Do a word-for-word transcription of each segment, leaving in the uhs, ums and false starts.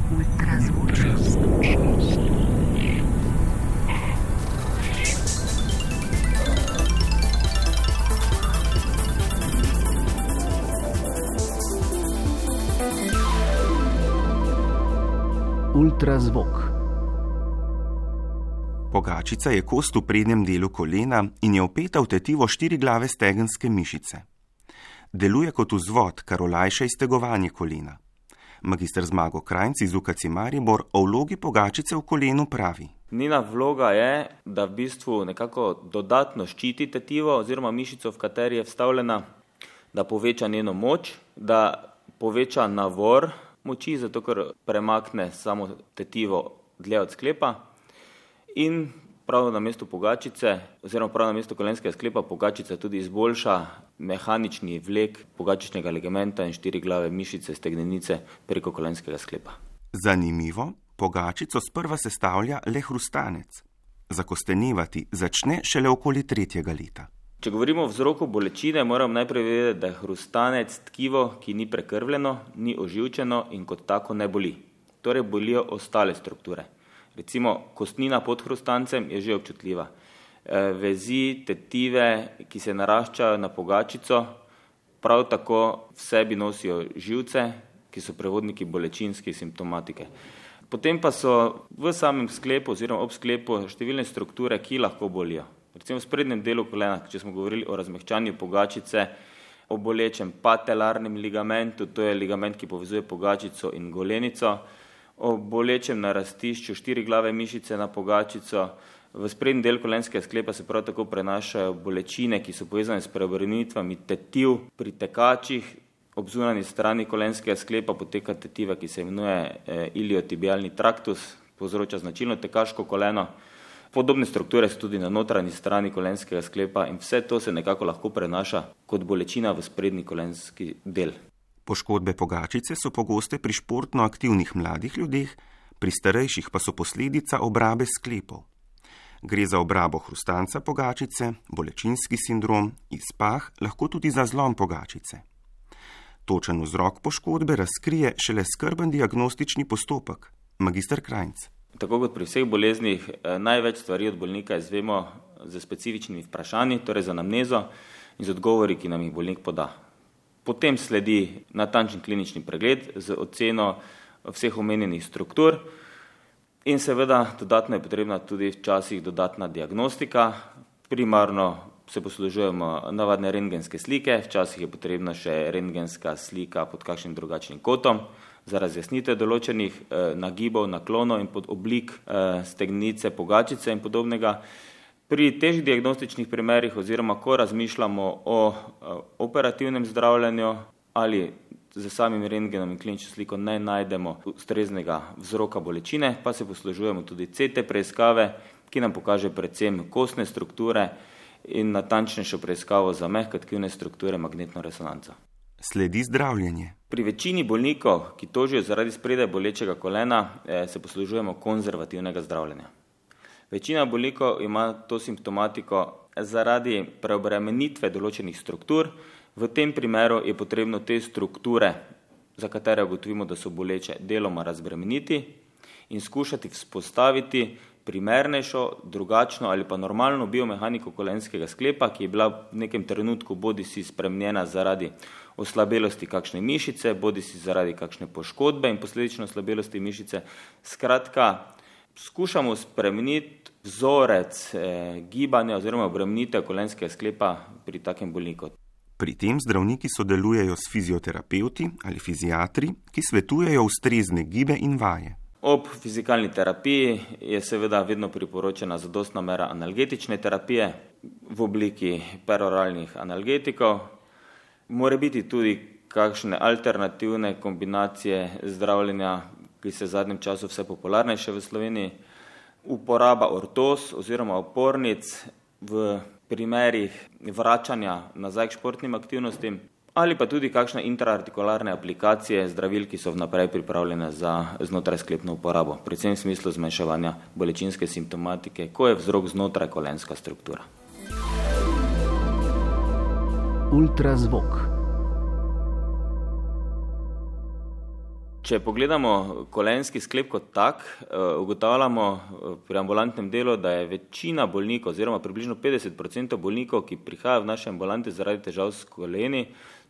Ultrazvočnost. Ultrazvok. Pogačica je kost v prednjem delu kolena in je vpeta v tetivo štiriglave stegenske mišice. Deluje kot vzvod, kar olajša iztegovanje kolena. Magister Zmago Krajnc iz U K C Maribor o vlogi pogačice v kolenu pravi. Njena vloga je, da v bistvu nekako dodatno ščiti tetivo oziroma mišico, v kateri je vstavljena, da poveča njeno moč, da poveča navor moči, zato ker premakne samo tetivo dlje od sklepa in prav na mesto pogačice oziroma prav na mesto kolenskega sklepa pogačica tudi izboljša mehanični vlek pogačičnega ligamenta in štiriglave mišice stegnenice preko kolenskega sklepa. Zanimivo, pogačico sprva sestavlja le hrustanec. Zakostenevati začne šele okoli tretjega leta. Če govorimo o vzroku bolečine, moram najprej vedeti, da je hrustanec tkivo, ki ni prekrvljeno, ni oživčeno in kot tako ne boli. Torej bolijo ostale strukture. Recimo kostnina pod hrustancem je že občutljiva. Vezi, tetive, ki se naraščajo na pogačico, prav tako v sebi nosijo živce, ki so prevodniki bolečinske simptomatike. Potem pa so v samem sklepu oziroma ob sklepu številne strukture, ki lahko bolijo. Recimo v sprednjem delu kolena, če smo govorili o razmehčanju pogačice, o bolečem patelarnem ligamentu, to je ligament, ki povezuje pogačico in golenico, o bolečem narastišču štiriglave mišice na pogačico. V sprednji del kolenskega sklepa se prav tako prenašajo bolečine, ki so povezane s preobrnitvami tetiv pri tekačih. Ob zunanji strani kolenskega sklepa poteka tetiva, ki se imenuje iliotibialni traktus, povzroča značilno tekaško koleno. Podobne strukture so tudi na notranji strani kolenskega sklepa in vse to se nekako lahko prenaša kot bolečina v sprednji kolenski del. Poškodbe pogačice so pogoste pri športno aktivnih mladih ljudeh, pri starejših pa so posledica obrabe sklepov. Gre za obrabo hrustanca pogačice, bolečinski sindrom, izpah, lahko tudi za zlom pogačice. Točen vzrok poškodbe razkrije šele skrben diagnostični postopek. Magister Krajnc. Tako kot pri vseh boleznih, največ stvari od bolnika izvemo z specifičnimi vprašanji, torej z anamnezo in z odgovori, ki nam jih bolnik poda. Potem sledi natančen klinični pregled z oceno vseh omenjenih struktur in seveda dodatno je potrebna tudi včasih dodatna diagnostika. Primarno se poslužujemo navadne rentgenske slike, včasih je potrebna še rentgenska slika pod kakšnim drugačnim kotom za razjasnitev določenih eh, nagibov, naklonov in pod oblik eh, stegnenice, pogačice in podobnega. Pri težjih diagnostičnih primerih oziroma ko razmišljamo o eh, operativnem zdravljenju ali z samim rentgenom in klinično sliko ne najdemo ustreznega vzroka bolečine, pa se poslužujemo tudi C T preiskave, ki nam pokaže predvsem kostne strukture in natančnejšo preiskavo za mehke tkivne strukture magnetno resonanco. Sledi zdravljenje. Pri večini bolnikov, ki tožijo zaradi spredaj bolečega kolena, se poslužujemo konzervativnega zdravljenja. Večina bolnikov ima to simptomatiko zaradi preobremenitve določenih struktur. V tem primeru je potrebno te strukture, za katere ugotovimo, da so boleče, deloma razbremeniti in skušati vzpostaviti primernejšo, drugačno ali pa normalno biomehaniko kolenskega sklepa, ki je bila v nekem trenutku bodisi spremenjena zaradi oslabelosti kakšne mišice, bodisi zaradi kakšne poškodbe in posledično oslabelosti mišice. Skratka, skušamo spremeniti vzorec eh, gibanja oziroma obremenitev kolenskega sklepa pri takem bolniku. Pri tem zdravniki sodelujejo s fizioterapevti ali fiziatri, ki svetujejo ustrezne gibe in vaje. Ob fizikalni terapiji je seveda vedno priporočena zadostna mera analgetične terapije v obliki peroralnih analgetikov. More biti tudi kakšne alternativne kombinacije zdravljenja, ki se v zadnjem času vse popularnejše v Sloveniji. Uporaba ortoz oziroma opornic v primerih vračanja nazaj k športnim aktivnostim ali pa tudi kakšne intraartikularne aplikacije zdravil, ki so vnaprej pripravljene za znotrajsklepno uporabo, predvsem v smislu zmanjševanja bolečinske simptomatike, ko je vzrok znotraj kolenska struktura. Ultrazvok. Če pogledamo kolenski sklep kot tak, ugotavljamo pri ambulantnem delu, da je večina bolnikov oziroma približno petdeset procentov bolnikov, ki prihajajo v naše ambulante zaradi težav s koleni,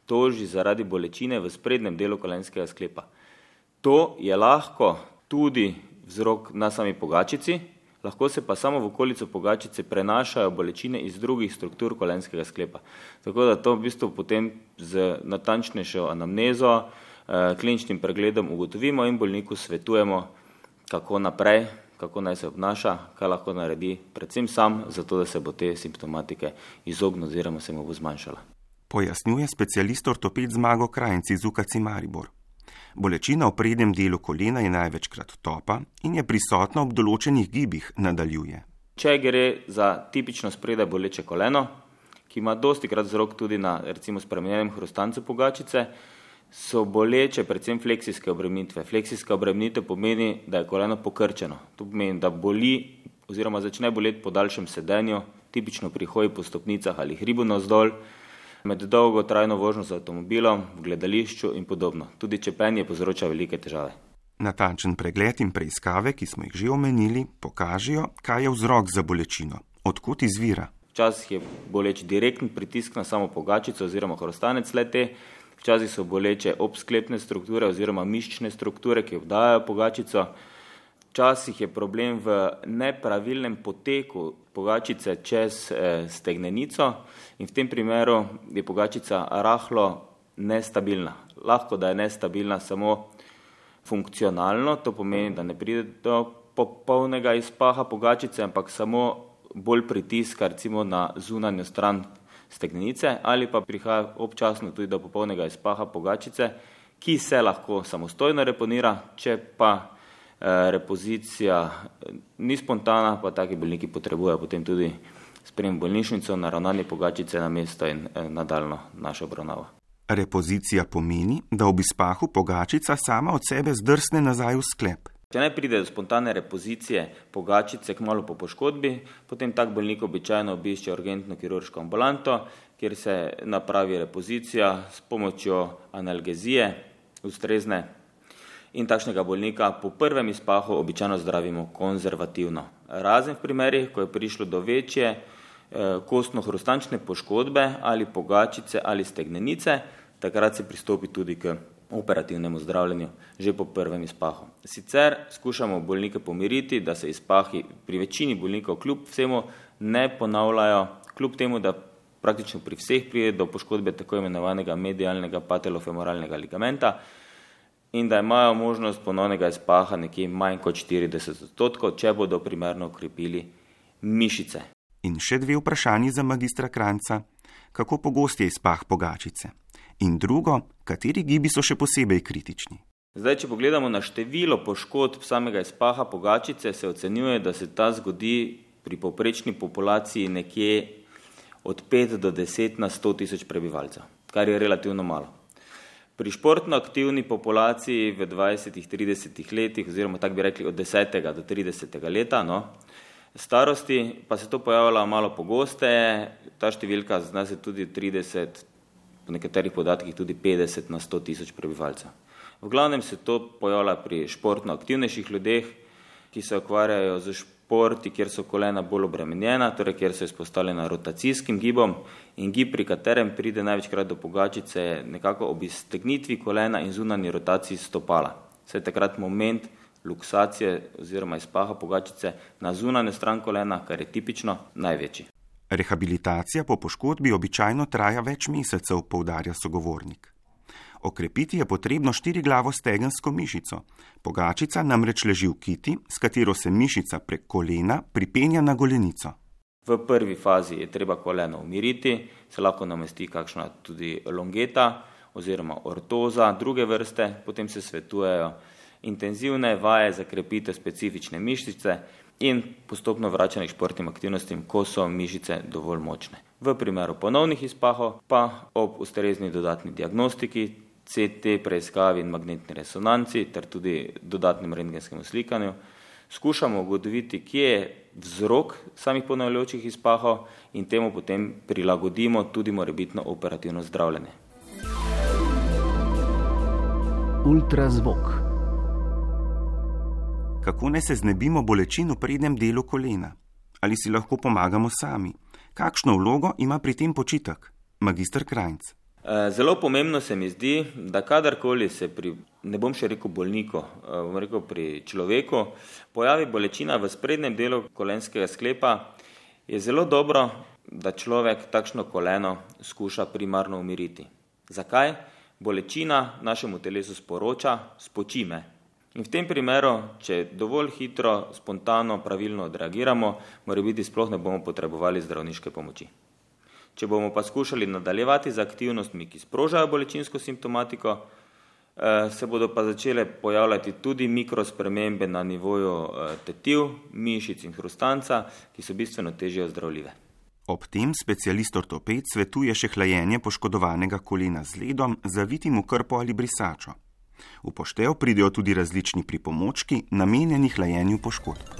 toži zaradi bolečine v sprednjem delu kolenskega sklepa. To je lahko tudi vzrok na sami pogačici, lahko se pa samo v okolico pogačice prenašajo bolečine iz drugih struktur kolenskega sklepa. Tako da to v bistvu potem z natančnejšo anamnezo, kliničnim pregledom ugotovimo in bolniku svetujemo, kako naprej, kako naj se obnaša, kaj lahko naredi, predvsem sam, zato da se bo te simptomatike izognil oziroma se mu bo zmanjšala. Pojasnjuje specialist ortoped Zmago Krajnc iz U K C Maribor. Bolečina v prednjem delu kolena je največkrat topa in je prisotna ob določenih gibih, nadaljuje. Če gre za tipično spredaj boleče koleno, ki ima dostikrat vzrok tudi na recimo spremenjenem hrustancu pogačice, so boleče predvsem fleksijske obremenitve. Fleksijska obremenitev pomeni, da je koleno pokrčeno. To pomeni, da boli oziroma začne boleti po daljšem sedenju, tipično pri hoji po stopnicah ali hribu navzdol, med dolgo trajno vožnjo z avtomobilom, v gledališču in podobno. Tudi čepenje povzroča velike težave. Natančen pregled in preiskave, ki smo jih že omenili, pokažejo, kaj je vzrok za bolečino, odkot izvira. Včasih je boleč direktni pritisk na samo pogačico oziroma hrustanec le-te, včasih so boleče obsklepne strukture oziroma mišične strukture, ki obdajajo pogačico. Včasih je problem v nepravilnem poteku pogačice čez eh, stegnenico in v tem primeru je pogačica rahlo nestabilna. Lahko, da je nestabilna samo funkcionalno, to pomeni, da ne pride do popolnega izpaha pogačice, ampak samo bolj pritiska recimo na zunanjo stran stegnenice ali pa prihaja občasno tudi do popolnega izpaha pogačice, ki se lahko samostojno reponira, če pa eh, repozicija ni spontana, pa taki bolniki potrebujejo potem tudi sprejem bolnišnico, naravnanje pogačice na mesto in eh, nadaljno našo obravnavo. Repozicija pomeni, da ob izpahu pogačica sama od sebe zdrsne nazaj v sklep. Če ne pride do spontane repozicije pogačice kmalu po poškodbi, potem tak bolnik običajno obišče urgentno kirurško ambulanto, kjer se napravi repozicija s pomočjo analgezije ustrezne in takšnega bolnika po prvem izpahu običajno zdravimo konzervativno. Razen v primerih, ko je prišlo do večje eh, kostno-hrustančne poškodbe ali pogačice ali stegnenice, takrat se pristopi tudi k operativnemu zdravljenju že po prvem izpahu. Sicer skušamo bolnike pomiriti, da se izpahi pri večini bolnikov kljub vsemu ne ponavljajo, kljub temu, da praktično pri vseh pride do poškodbe tako imenovanega medialnega patelofemoralnega ligamenta in da imajo možnost ponovnega izpaha nekje manj kot štirideset odstotkov, če bodo primerno ukrepili mišice. In še dve vprašanji za magistra Krajnca. Kako pogost je izpah pogačice? In drugo, kateri gibi so še posebej kritični? Zdaj, če pogledamo na število poškodb samega izpaha pogačice, se ocenjuje, da se ta zgodi pri povprečni populaciji nekje od pet do deset na sto tisoč prebivalcev, kar je relativno malo. Pri športno aktivni populaciji v dvajsetih, tridesetih letih, oziroma tako bi rekli od desetega do tridesetega leta, no, starosti pa se to pojavlja malo pogosteje, ta številka zna se tudi trideset, po nekaterih podatkih tudi petdeset na sto tisoč prebivalcev. V glavnem se to pojavlja pri športno aktivnejših ljudeh, ki se ukvarjajo z športi, kjer so kolena bolj obremenjena, torej kjer so izpostavljena rotacijskim gibom in gib, pri katerem pride največkrat do pogačice, je nekako ob iztegnitvi kolena in zunanji rotaciji stopala. Se je takrat moment luksacije oziroma izpaha pogačice na zunanjo stran kolena, kar je tipično, največji. Rehabilitacija po poškodbi običajno traja več mesecev, poudarja sogovornik. Okrepiti je potrebno štiriglavo stegensko mišico. Pogačica namreč leži v kiti, s katero se mišica prek kolena pripenja na golenico. V prvi fazi je treba koleno umiriti, se lahko namesti kakšna tudi longeta oziroma ortoza druge vrste, potem se svetujejo intenzivne vaje za krepitev specifične mišice in postopno vračanje k športnim aktivnostim, ko so mišice dovolj močne. V primeru ponovnih izpahov pa ob ustrezni dodatni diagnostiki, C T preiskavi in magnetni resonanci ter tudi dodatnem rentgenskemu slikanju skušamo ugotoviti, kje je vzrok samih ponavljajočih izpahov in temu potem prilagodimo tudi morebitno operativno zdravljenje. Ultrazvok. Kako naj se znebimo bolečin v prednjem delu kolena? Ali si lahko pomagamo sami? Kakšno vlogo ima pri tem počitek? Magister Krajnc. Zelo pomembno se mi zdi, da kadarkoli se pri, ne bom še rekel bolniku, bom rekel pri človeku, pojavi bolečina v sprednjem delu kolenskega sklepa, je zelo dobro, da človek takšno koleno skuša primarno umiriti. Zakaj? Bolečina našemu telesu sporoča, spoči me. In v tem primeru, če dovolj hitro, spontano, pravilno odreagiramo, morebiti sploh ne bomo potrebovali zdravniške pomoči. Če bomo pa skušali nadaljevati z aktivnostmi, ki sprožajo bolečinsko simptomatiko, se bodo pa začele pojavljati tudi mikrospremembe na nivoju tetiv, mišic in hrustanca, ki so bistveno težje ozdravljive. Ob tem specialist ortoped svetuje še hlajenje poškodovanega kolena z ledom, zavitim v krpo ali brisačo. V poštev pridejo tudi različni pripomočki, namenjeni hlajenju poškodb.